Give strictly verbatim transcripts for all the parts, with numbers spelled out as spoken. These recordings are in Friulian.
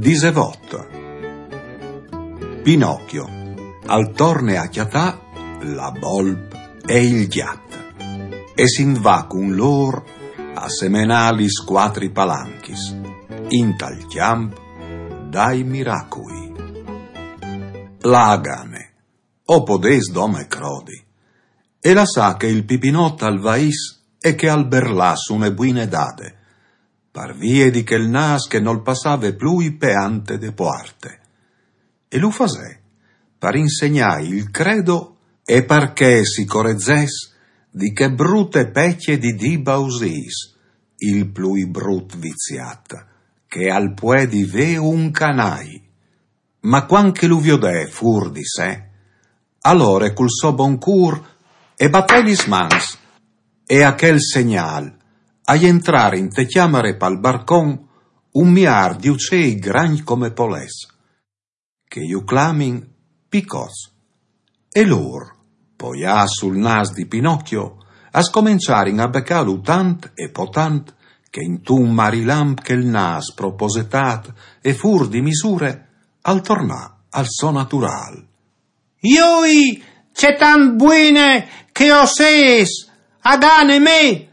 Disevot. Pinocchio al torne a cjatâ la bolp e il gjat, e si 'nd va cun lôr a semenâ lis cuatri palanchis, intal cjamp dai miracui. La Agane o podès dome crodi, e lassà che il Pipinot al vaìs e che al berlàs une buine dade, par vie di chel nâs che nol passave plui pe ante de puarte. E lu fasè par insegnâi il credo e par che si corezès di chê brute pecje di dî bausîs, il plui brut viziât che al puedi vê un canai. Ma cuant che lu viodè fûr di sé, alore cul so bon cûr e batè lis mans, e a chel segnâl a jentrà inte cjamare pal barcon un miâr di ucei grancj come polets, che ju clamin picots. E lôr, poiâts sul nâs di Pinocchio, a scomençarin a becâlu tant e po tant, che intun marilamp chel nâs sproposetât e fûr di misure al tornà al so naturâl. Joi, ce tant buine che o sês, Agane mê!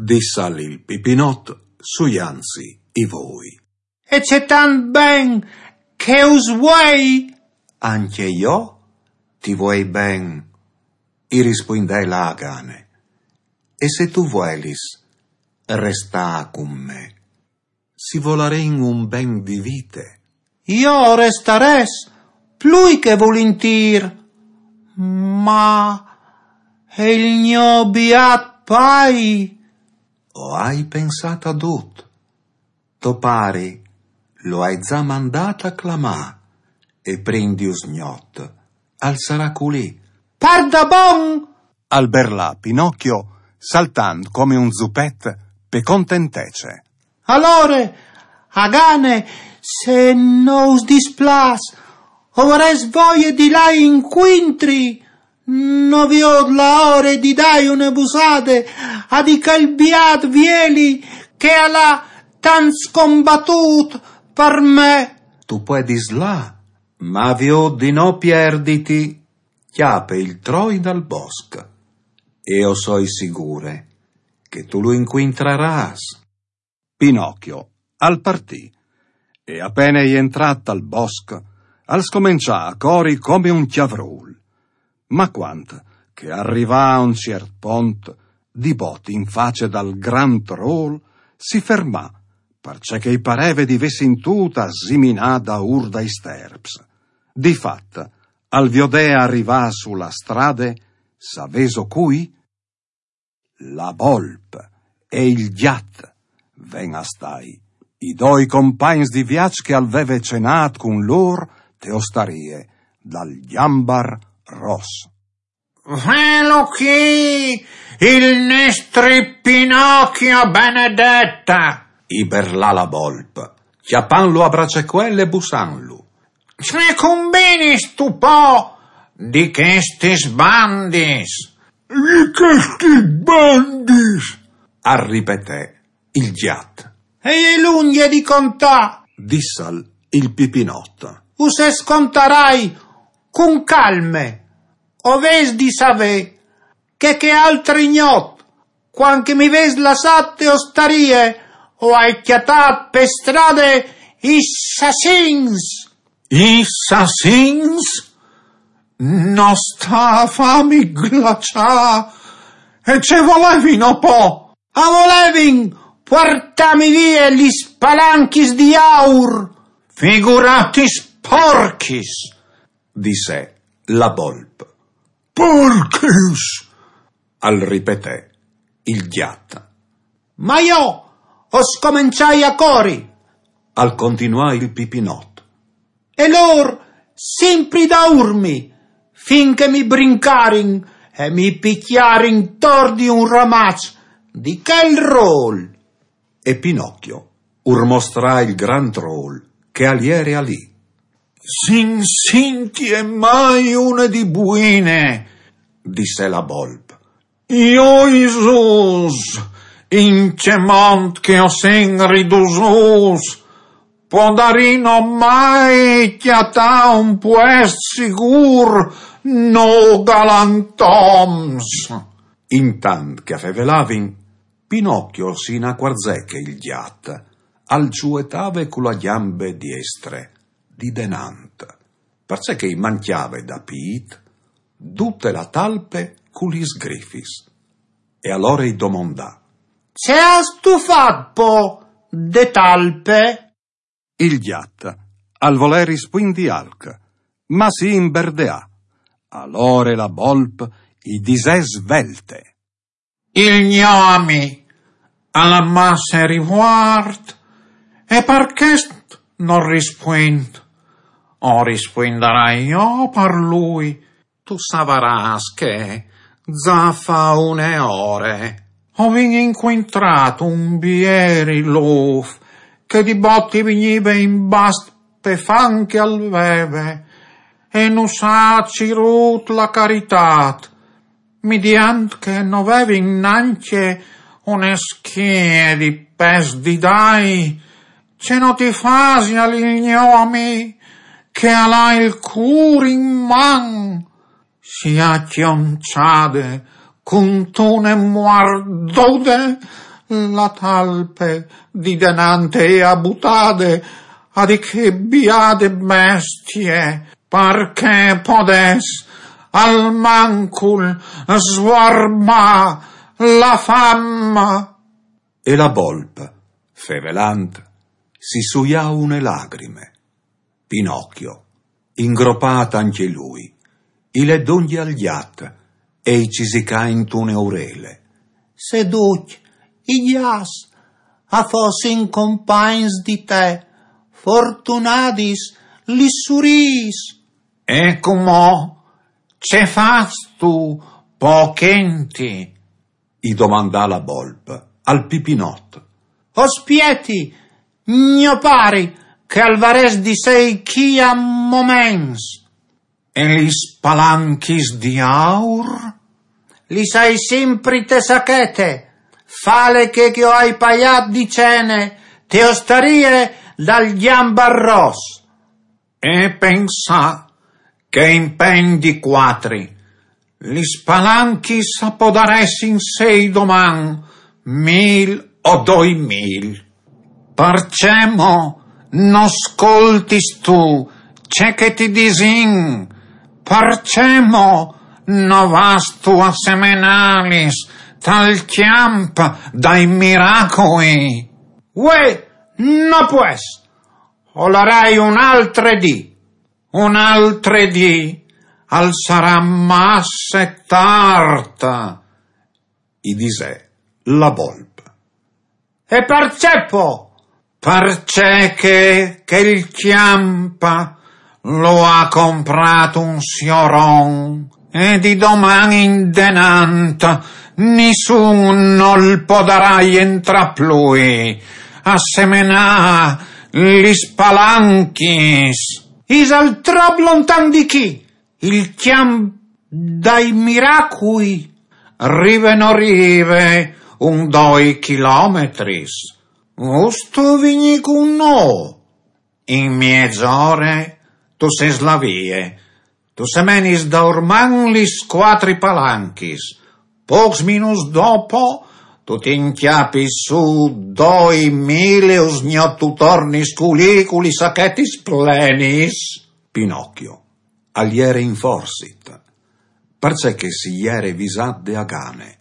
Dissal il Pipinot, suiantssi i voi. E ce tant ben che us vuei! Ancje jo ti vuei ben, i rispuindè la Agane. E se tu vuelis restâ cun me, si volarìn un ben di vite. Jo o restarès plui che vulintîr, ma e il gno biât pai? O ai pensât a dut. To pari lu ai za mandât a clamâ, e prin di usgnot al sarà culì. Pardabon? Al berlà Pinocchio, saltant come un zupet pe contentece. Alore, Agane, se no us displâs, o varès voie di lâi incuintri. No viôt la ore di dâi une busade a di chel biât vieli che al à tant scombatût par me. Tu puedis lâ, ma viôt di no pierditi. Cjape il troi dal bosc, e o soi sigure che tu lu incuintrarâs. Pinocchio al partì, e a pene jentrât tal bosc, al scomençà a cori come un cjavrûl. Ma cuant che al rivà a un ciert pont, di bot in face dal grant rôl, si fermà, parcè che i pareve di vê sintût a siminâ daûr dai sterps. Di fat, al viodè a rivâ su la strade, savêso cui? La bolp e il gjat ven a stâi, i doi compagns di viaç che al veve cenât cun lôr te ostarie dal Gjambar Ros. Velu chi, il nestri Pinocchio benedeta! I berlà la bolp, cjapantlu a bracecuel e bussantlu. Ce cumbinistu po di chestis bandis? Di chestis bandis? Al ripetè il gjat. E je lungje di contâ, dissal il Pipinot. Us e contarai cun calme. O vês di savê che chê altre gnot, cuant che mi vês lassât te ostarie, o ai cjatât pe strade i sassins. I sassins? No sta a fâmi glaçâ. E ce volevino po? A volevin puartâmi vie lis palanchis di aur. Figuratis porchis, dissè la bolp. Porchis! Al ripetè il gjat. Ma jo o scomençai a cori, al continuà il Pipinot. E lôr simpri daûr mi, fin che mi brincarin e mi picjarin tor di un ramaç di chel rôl. E Pinocchio ur mostrà il grant rôl che al jere alì. Sin sintie mai une di buine, dissè la bolp. Joi Zus, in ce mont che o sin ridusûts, Podarino mai cjatâ un puest sigûr, no galantoms? Intant che a fevelavin, Pinocchio si inacuarzè che il gjat al zuetave cu la gjambe diestre, di denant, parcè che i mancjave da pît dute la talpe cu lis grifis. E alore i domandà: Ce âstu fat po de talpe? Il gjat al volè rispuindi alc, ma si imberdeà. Alore la bolp i disè svelte: Il gno ami al à masse rivuart, e par chest nol rispuint. O rispuindarai jo par lui. Tu savarâs che za fa une ore o vin incuintrât un bieri luf che di bot i vignive in bast pe fam che al veve, e nus à cirût la caritât, midiant che no vevin nancje une schie di pes di dai. Ce no ti fasial il gno ami, che al à il cûr in man? Si à cjonçade cuntune muardude la talpe di denant e à butade a di chê biade bestie, parcè podès almancul svuarmâ la fam. E la bolp, fevelant, si suià une lagrime. Pinocchio, ingropât ancje lui, i lè dongje al gjat e i cisicà intune urele: Se ducj i gjats a fossin compagns di te, fortunadis lis surîs. E cumò ce fâstu po chenti? I domandà la bolp al Pipinot. O spieti, gno pari, che al varès di sei chi a moments. E lis palanchis di aur? Lis ai simpri te sachete, fale che, che o ai paiât di cene te ostarie dal Gjambarros. E pensâ che in pegn di cuatri lis palanchis a podaressin sei doman mil o doi mil. Parcè mo no scoltistu ce che ti disìn? Parcè mo no vâstu a semenâlis tal cjamp dai miracui? Uè, no pues! O larai un altre dì. Un altre dì al sarà masse tart, i disè la bolp. E parcè po? Parcè che, che il cjamp lu à comprât un sioron, e di doman indenant nissun nol podarà jentrâ plui a semenâ lis palanchis. Isal trop lontan di chi? Il cjamp dai miracui? Rive no rive un doi chilometris. Vûstu vignî cun nô? In miezore tu sês là vie. Tu semenis daurman lis cuatri palanchis. Pôcs minuts dopo tu ti incjapis sù doi mil e usgnot tu tornis culì cu lis sachetis plenis. Pinocchio al jere inforsit, parcè che si jere visât de agane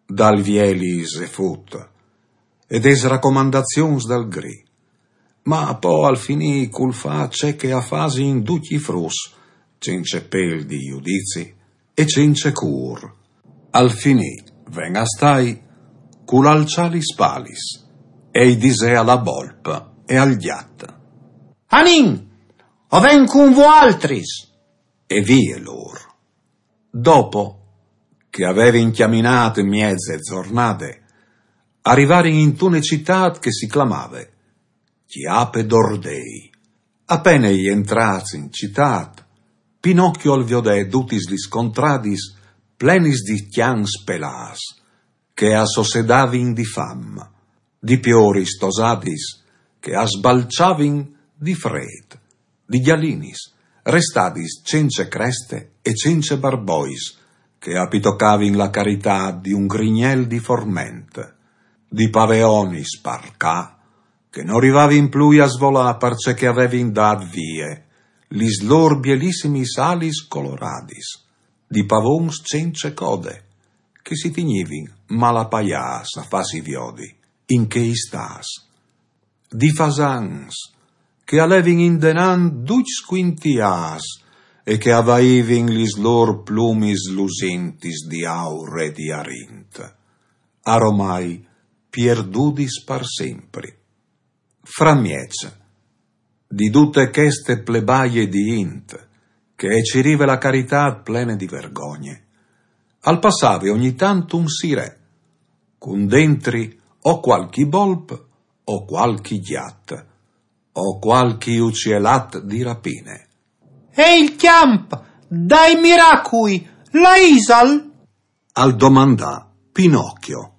dal vieli Zefut e des racomandazions dal Gri. Ma po al finì cul fâ ce che a fasin ducj i fruts, cence pêl di judizi e cence cûr. Al finì ven a stâi cul alçâ lis spalis e i disè a la bolp e al gjat: Anìn, o ven cun voaltris! E vie lôr. Dopo che a vevin cjaminât mieze zornade, a rivarin intune citât che si clamave Cjape d'Ordei. A pene jentrâts in citât, Pinocchio al viodè dutis lis contradiis plenis di cjans pelâts, che a sossedavin di fam, di pioris tosadis che a sbalçavin di frêt, di gjalinis, restadis cence creste e cence barbois, che a pitocavin la caritât di un grignel di forment, di paveonis par ca, che no rivavin plui a svolâ parcè che a vevin dât vie lis lôr bielissimis alis coloradis, di pavons cence code, che si tignivin malapaiâts a fâsi viodi in chei stâts, di fasans che a levin indenant ducj scuintiâts e che a vaivin lis lôr plumis lusintis di aur e di arint, aromai pierdudis par simpri. Framieç di dute cheste plebaie di int, che e cirive la caritât plene di vergogne, al passave ogni tant un sirè, cun dentri o cualchi bolp o cualchi gjat, o cualchi ucielat di rapine. «E il cjamp dai miracui, là isal?» al domandà Pinocchio.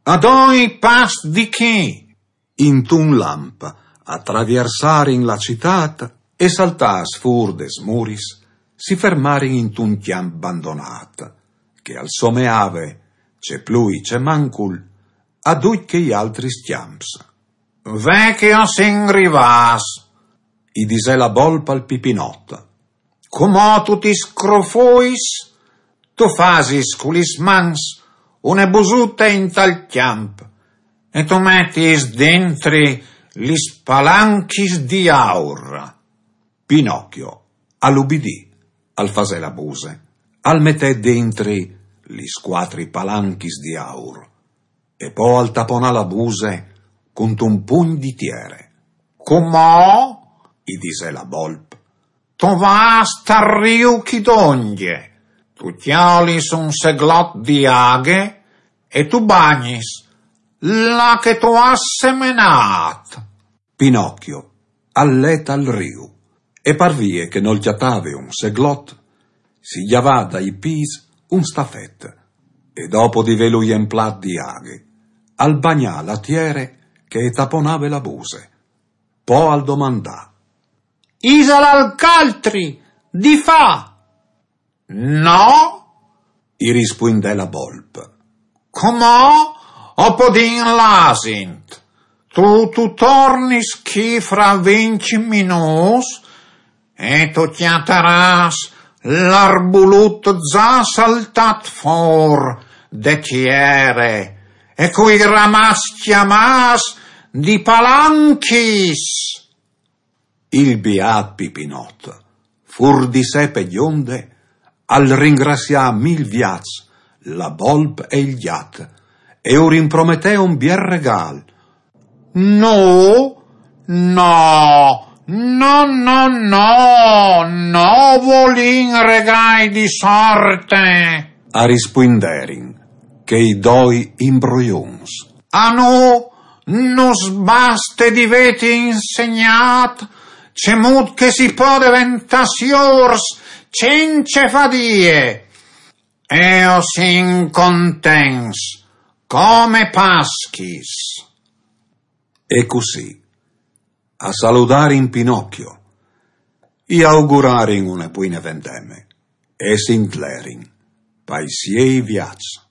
«A doi pas di chi?» Intun lamp a traviersarin la citât e saltâts fûr des muris, si fermarin intun cjamp bandonât, che al someave, ce plui ce mancul, a ducj chei altris cjamps. «Ve che o sin rivâts», i disè la bolp al Pipinot. «Cumò tu ti scrufuis, tu fasis cu lis mans une busute intal cjamp e tu metis dentri lis palanchis di aur.» Pinocchio al ubidì, al fasè la buse, al metè dentri lis cuatri palanchis di aur e po al taponà la buse cuntun pugn di tiere. «Cumò», i disè la bolp, «tu vâs tal riu chi dongje, tu cjolis un seglot di aghe e tu bagnis là che tu âs semenât.» Pinocchio al lè tal riu e par vie che nol cjatave un seglot, si gjavà dai pîts un stafet e dopo di vêlu jemplât di aghe, al bagnà la tiere che e taponave la buse. Po al domandà: «Isal alc altri di fâ?» «No», i rispuindè la bolp. «Cumò o podìn lâsi. Tu, tu tornis chi fra vincj minûts e tu cjatarâs l'arbulut za saltât fûr de tiere e cui ramaçs cjamâts di palanchis.» Il biât Pipinot, fûr di se pe gjonde, al ringracià mil viaçs la bolp e il gjat e ur imprometè un biel regâl. «No, no, no, no, no, no volìn regâi di sorte», a rispuinderin chei doi imbroiuns. «A nô nus baste di vêti insegnât cemût che si pò deventâ siôrs cence fadie. E o sin contents come Paschis.» E cussì a saludarin Pinocchio, i augurarin une buine vendeme e si 'nt lerin pai siei viaçs.